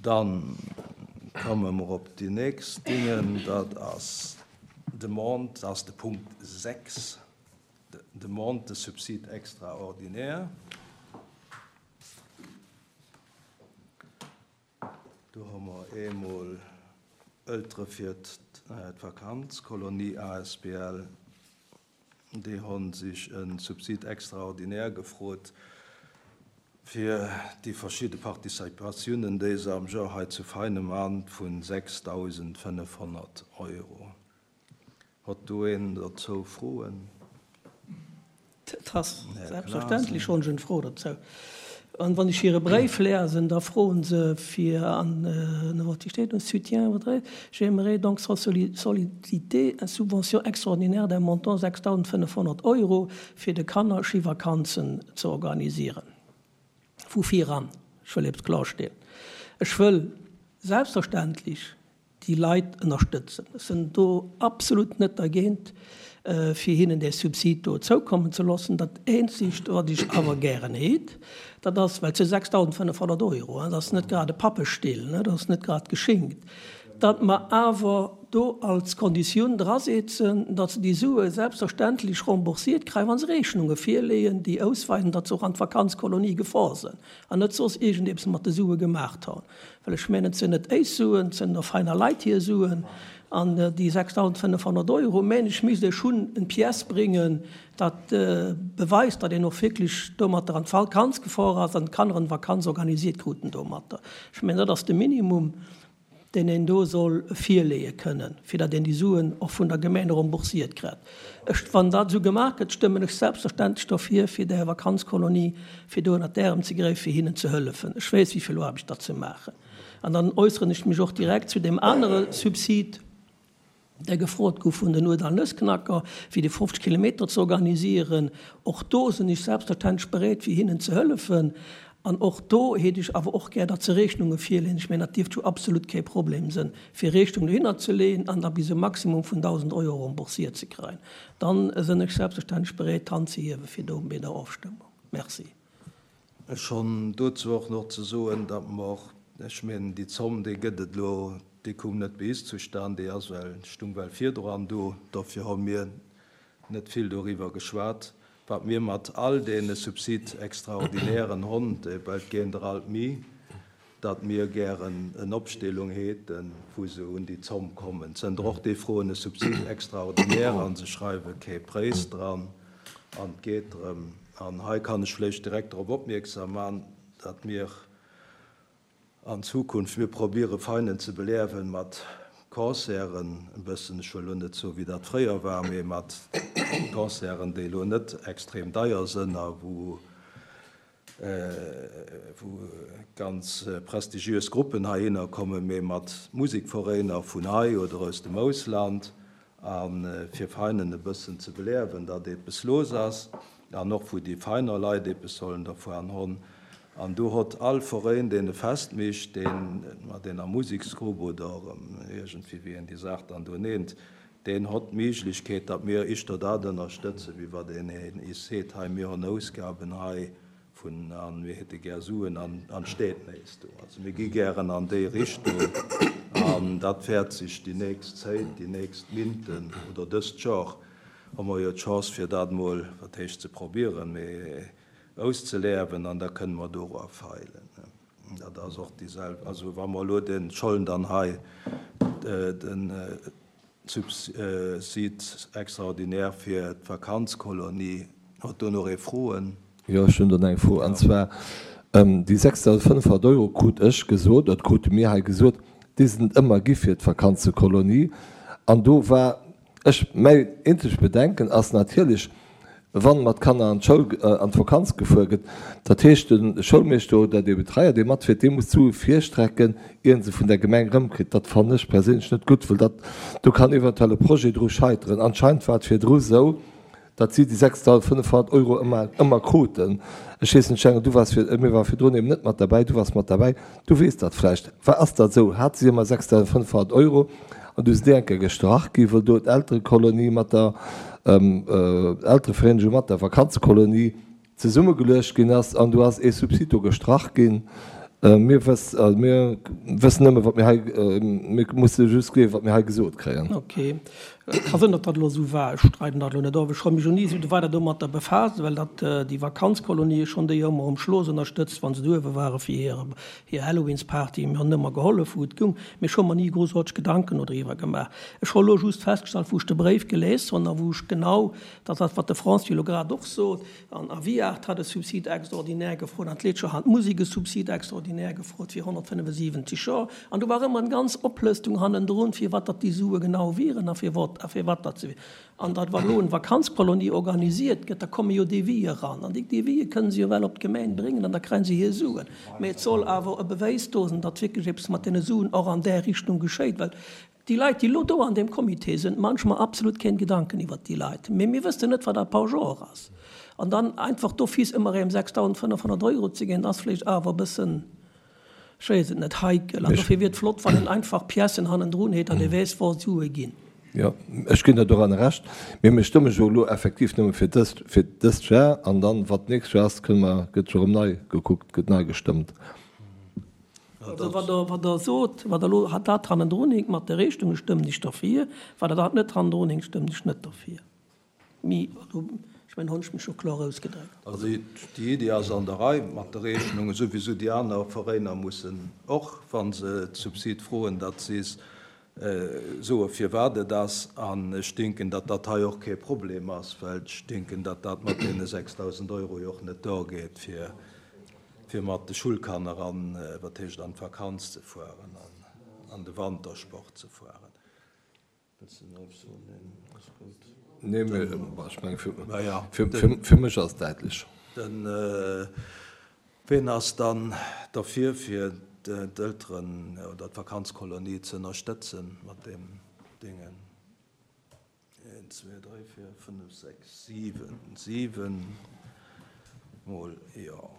Dann komme mer op déi nächst Dingen. Dat ass d'Demande, dat ass de Punkt 6, Demande de subside extraordinaire. Do hu mer eemol Eltere fir d'Vakanzkolonie asbl. Déi hu sech e Subsid extraordinaire gefrot fir déi verschidde Participatiounen, déi se am Joer hei zu Veinen man, vu 6.500 Euro. Hott do een dozou Froen? Dat ass selbstverständlech schonn eng Fro dozou. An wann ech hire Bréif lesen, da froen se fir an wat hei steet, un soutien votre j'aimerais donc solliciter une subvention extraordinaire d'un montant 6.500 Euro fir de Kanner Schivakanzen ze organisieren. Vu viran, ech wëll eppes klarstellen, ech wëll selbstverständlech déi Leit ënnerstëtzen. Ech sinn do absolut net dergéint, fir hinnen dee Subsid do zoukommen ze loossen. Dat eenzegt, wat ech awer gären heet, dat ass, well et si 6.500 Euro, dat ass net grad e Pappestill, dat ass net grad geschinkt, datt mer awer do als Konditioun drasetzen, datt se déi Sue selbstverständlech remboursiert kréien, wa se Rechnunge virleeën, déi ausweisen, datt se och an d'Vakanzkolonie gefor sinn an net soss iergendeppes mat de Sue gemaacht hunn. Well ech mengen, et sinn net éis Suen, et sinn der feiner Leit hir Suen. An déi 6.500 Euro, mengen ech, misst ee schonn en pièce bréngen, dat beweist, datt een och wierklech domatter an d'Vakanz gefor ass an d'Kanner en Vakanz organisiert kruten domatter. Ech mengen, dat ass de Minimum, deen een do soll virleeë kënnen, fir datt een déi Suen och vun der Gemeng remboursiert kritt. Ech, wann dat esou gemaach gëtt, stëmmen ech selbstverständlech dofir, fir där Vakanzkolonie, fir do ënnert d'Ärem ze gräifen, fir hinnen ze hëllefen. Ech weess, wéi vill Aarbecht dat se maachen. An dann äusseren ech mech och direkt zu deem anere Subsid, dee gefrot gouf vun den Uerdal Nëssknacker, fir déi 50 Kilometer ze organisieren. Och do sinn ech selbstverständlech bereet, fir hinnen ze hëllefen. An och do hätt ech awer och gär, datt se Rechnunge virleeën. Ech mengen, dat dierft jo absolut kee Problem sinn, fir Rechnung dohinner ze leeën an da bis e Maximum vun 1.000 Euro remboursiert ze kréien. Dann sinn ech selbstverständlech bereet, d'Hand ze hiewe fir do bei der Ofstëmmung. Merci. Ech hunn dozou och nach ze soen, datt mer, ech mengen, déi Zomm, déi gëtt et elo, déi koum net bei is zustan, déi ass well, stung well virdran do. Dofir hu mir net vill doriwwer geschwat, wat mir mat all deene Subsides extraordinairen honn, well et géint der alt mi, datt mir gären en Opstellung häten, wou se un déi Zomm kommen. Zënter och déi froen e Subside extraordinaire an se schreiwe kee Préis dran an et geet drëm, an hei kann ech vläicht direkt drop opmierksam man, datt mir an Zukunft, mir probiere Veinen ze beleawen mat Concerten e bëssen, ech wëll elo net soen, wéi dat fréier war, mee mat Concerten, déi elo net extrem deier sënn a wou wou ganz prestigiös Gruppen heihinner kommen, mee mat Musikveräiner vun hei oder aus dem Ausland, a fir Veinen e bëssen ze beleawen, datt eppes los ass, an och wou déi Veiner Leit eppes sollen dervuan honn. An do hott all Veräin, deen e Fest micht, deen mat eener Musiksgrupp oder iergendwéi, wéi een déi Saach dann do neent, deen hott d'Méiglechkeet, datt mir ischter dat ënnerstëtzen, wéi wat een is seet, hei mir honn Ausgaben hei vun an mir hätte gär Suen an an d'steet néis do. Also mir gi gären an déi Richtung an dat wäert sech déi nächst Zéit, déi nächst Minten oder dëst Jor hu mer jo d'Chance fir dat mol, wat heescht ze probieren, mee auszeleawen an da kënne mer dora feilen. Dat ass och déi selw, also wa mer elo den Schollen dann hei den Subside extraordinaire fir d'Vakanzkolonie, huet do nach ee Froen? Jo, ech hunn do nach eng Fro, an zwar déi 6.500 Euro krut ech gesot, oder krute mir hei gesot, déi sinn et ëmmer gi fir d'Vakanzekolonie. An do war ech, mäi eenzegt Bedenken ass natierlech, wann mat Kanner an d'Schoul, an d'Vakanz gefuer gëtt, dat heescht de Schoulmeeschter oder dee Betreier dee matfiert, dee muss d'Sue virstrecken, ier en se vun der Gemeng erëmkritt. Dat fannen ech perséinlech net gutt, well dat, do kann eventuell e Projet dru scheiteren. Anscheinend war et virdru sou, datt si déi 6.500 Euro ëmmer, ëmmer kruten. Ech weess net, Schengen, du waars vir, mir ware virdrun eben net mat derbäi, du waars mat derbäi, du weess dat vläicht. War, ass dat esou? Hate si ëmmer 6.500 Euro an du sinn déi eng Kéier gestrach gi wëll do d'Elterekolonie mat der Elterevereenegung mat der Vakanzekolonie zesummegeluecht ginn ass an do ass ee Subsid do gestrach ginn. Mir wëssen nëmme wat mir hei, mir musse just gleewen, wat mir hei gesot kréien. Ok. Et ka sinn, datt dat elo esou war. Ech streiden dat elo net of. Ech hu mech jo ni esou weider domatter befaasst, well dat déi Vakanzkolonie schonn déi ëmmer um Schloss ënnerstëtzt, wa se do uewe ware fir hir hir Halloweensparty. Mir hunn ëmmer gehollef, wou et goung, mee ech hu mer ni groussaarteg Gedanken dodriwwer gemaach. Ech hu elo just festgestallt, wou ech de Bréif gelies hunn a wou ech genau dat, wat de François elo grad och sot, An Aviart hat e Subside extraordinaire gefrot, an d'Leetscher hat d'Musek e Subside extraordinaire gefrot fir 175 Joer. An do war ëmmer eng ganz Oplëstung hannendrun, firwat datt déi Sue genau wieren a firwat a firwat datt se wieren. An datt, wa elo eng Vakanzkolonie organisiert gëtt, da komme jo Devisë eran. An déi Devisë kënnen se jo well op d'Gemeng bréngen an da kréie se hir Suen. Mä et soll awer e Bewäis do sinn, datt wierklech eppes mat deene Suen och an där Richtung geschéit, well Déi Leit, déi elo do an deem Comité sinn, maan ech mer absolut keen Gedanken iwwert déi Leit. Mee mir wëssen net, wat à part genre ass. An dann einfach d'office ëmmer erém 6.500 Euro ze ginn, ass vléicht awer e bëssen, ech weess et net, heikel. An dofir wier et flott, wann een einfach Piècen hannendrun huet, datt ee weess, wou d'Sue ginn. Jo, ech ginn der doranner Recht. Mee mir stëmme jo elo effektiv nëmme fir dëst, fir dëst Jar. An dann, wat d'nächst Jar ass, kënne mer, gëtt jo erëm nei gekuckt, gëtt nei gestëmmt. Also wat Der, wat Der sot, wat Der elo dat hannendrun hinkt mat de Rechnungen, stëmmen ech derfir. Wat Der dat net hannendrun hinkt, stëmmen ech net derfir. Mee also, ech mengen, hunn ech mech jo kloer ausgedréckt. Also déi Iddi ass an der Rei mat de Rechnungen, souwisou déi aner Veräiner mussen och, wa se d'Subsid froen, datt si soe firwat et ass. An ech denken, datt dat hei och kee Problem ass, well ech denken, datt dat mat deene 6.000 Euro jo och net duergeet fir fir mat de Schulkanner an, wat heescht an d'Vakanz ze fueren an an de Wantersport ze fueren. Wëlls de nach eppes soen? Neen, ass gutt. Nee, mee ech menge fir, fir mech ass et däitlech. Den, ween ass dann derfir, fir d'Elteren oder d'Vakanzkolonie ze ënnerstëtzen mat deem Dingen? 1, 2, 3, 4, 5, 6, 7, 7 mol, jo.